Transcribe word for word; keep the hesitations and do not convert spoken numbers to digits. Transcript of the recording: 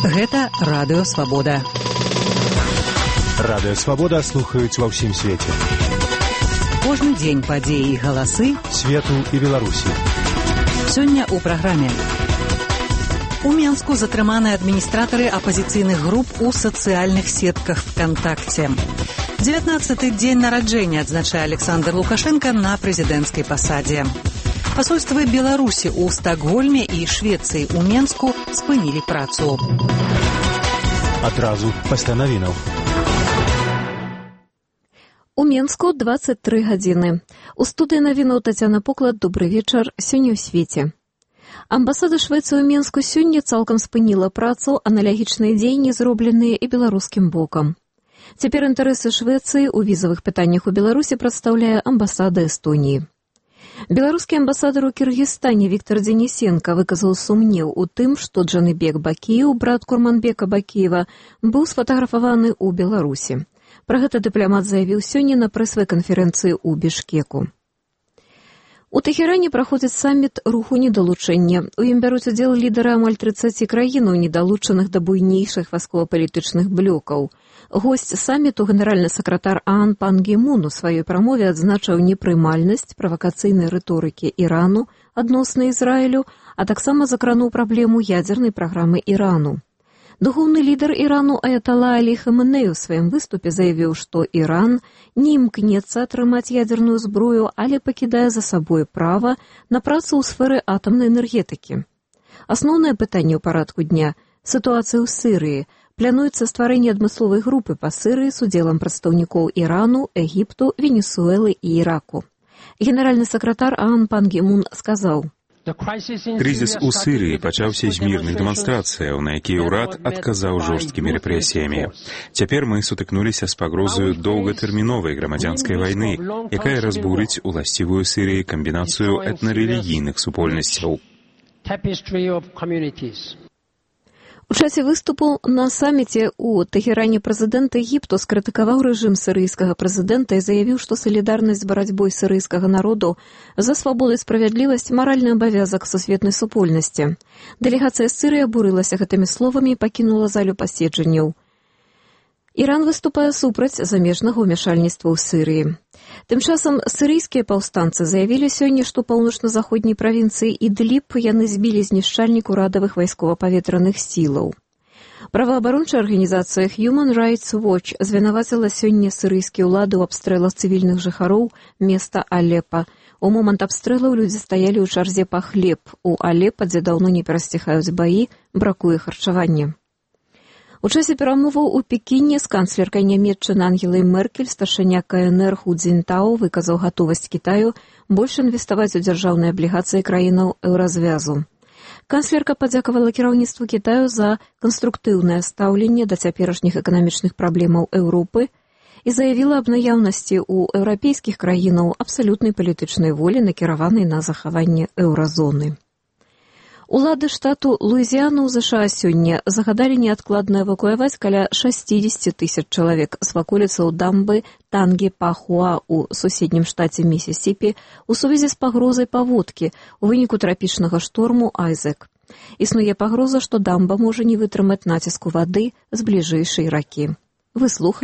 Гэта Радыё Свабода. Радыё Свабода слухаюць ва ўсім свеце. Кожны дзень падзеі і галасы свету і Беларусі. Сёння ў праграме. У Менску затрыманы адміністратары апазіцыйных груп у сацыяльных сетках ВКонтакте. дзевятнаццаты дзень нараджэння адзначае Александр Лукашенко на прэзідэнцкай пасадзе. Пасольствы Беларусі ў Стакгольме і Швецыі ў Менску спынілі працу. Адразу пасля навінаў. У Менску дваццаць тры гадзіны. У студыі навінаў Тацяна Поклад. Добры вечар. Сёння ў свеце. Амбасада Швецыі ў Менску сёння цалкам спыніла працу, аналагічныя дзеянні зробленыя і беларускім бокам. Цяпер інтарэсы Швецыі ў візавых пытаннях у Беларусі прадстаўляе амбасада Эстоніі. Беларускі амбасадар у Кіргізстане Віктор Денисенко выказаў сумнеў у тым, што Джаныбек Бакіеў, брат Курманбека Бакіева, быў сфатаграфаваны ў Беларусі. Пра гэта дыпламат заявіў сёння на прэс-канферэнцыі ў Бішкеку. У Тэхеране праходзіць саміт руху недалучэння. У ім бяруць удзел лідары амаль трыццаці краінаў, недалучаных да буйнейшых вайскова-палітычных блёкаў. Госць саміту, генеральны сакратар ААН Пан Гі Мун у сваёй прамове адзначыў непрымальнасць правакацыйнай рыторыкі Ірану адносна Ізраілю, а таксама закрануў праблему ядзернай праграмы Ірану. Духоўны лідар Ірану Аятала Алі Хаменей у сваім выступе заявіў, што Іран не імкнецца атрымаць ядзерную зброю, але пакідае за сабой права на працу ў сферы атамнай энергетыкі. Асноўнае пытанне ў парадку дня – сітуацыя ў Сірыі. Плануецца стварэнне адмысловай групы па Сірыі з удзелам прадстаўнікоў Ірану, Егіпту, Венесуэлы і Іраку. Генеральны сакратар ААН Пан Гі Мун сказаў: Крызіс у Сірыі пачаўся з мірных дэманстрацыяў, на якія ўрад адказаў жорсткімі рэпрэсіямі. Цяпер мы сутыкнуліся з пагрозаю доўгатэрміновай грамадзянскай вайны, якая разбурыць уласцівую Сірыі камбінацыю этнарэлігійных супольнасцяў. У часе выступу на саміце ў Тэхеране прэзідэнт Егіпту скрытыкаваў рэжым сірыйскага прэзідэнта і заявіў, што салідарнасць з барацьбой сірыйскага народу за свабоду і справядлівасць – маральны абавязак сусветнай супольнасці. Дэлегацыя з Сірыі абурылася гэтымі словамі і пакінула залю паседжанняў. Іран выступае супраць замежнага ўмяшальніцтва ў Сірыі. Тым часам сірыйскія паўстанцы заявілі сёння, што паўночна-заходняй правінцыі Ідліб яны збілі знішчальнік урадавых вайскова-паветраных сілаў. Праваабарончая арганізацыя Human Rights Watch звінаваціла сёння сірыйскія ўлады ў абстрэлах цывільных жыхароў места Алепа. У момант абстрэлаў людзі стаялі ў чарзе па хлеб. У Алепа, дзе даўно не перасціхаюць баі, бракуе харчавання. У часе перамоваў у Пекіне з канцлеркай нямецчыны Ангелай Меркель старшыня КНР Ху Цзінтао выказаў гатовасць Кітаю больш інвеставаць у дзяржаўныя аблігацыі краінаў еўразвязу. Канцлерка падзякавала кіраўніцтву Кітаю за канструктыўнае стаўленне да цяперашніх эканамічных праблемаў Еўропы і заявіла аб наяўнасці ў еўрапейскіх краінаў абсалютнай палітычнай волі, накіраванай на захаванне еўразоны. Улады штату Луізіяна ў ЗША сёння загадалі неадкладна эвакуяваць каля шэсцьдзесят тысяч чалавек з ваколіцаў дамбы Тангі-Пахуа ў суседнім штаце Місісіпі у сувязі з пагрозай паводкі ў выніку трапічнага шторму Айзек. Існуе пагроза, што дамба можа не вытрымаць націску вады з бліжэйшай ракі. Вы слухалі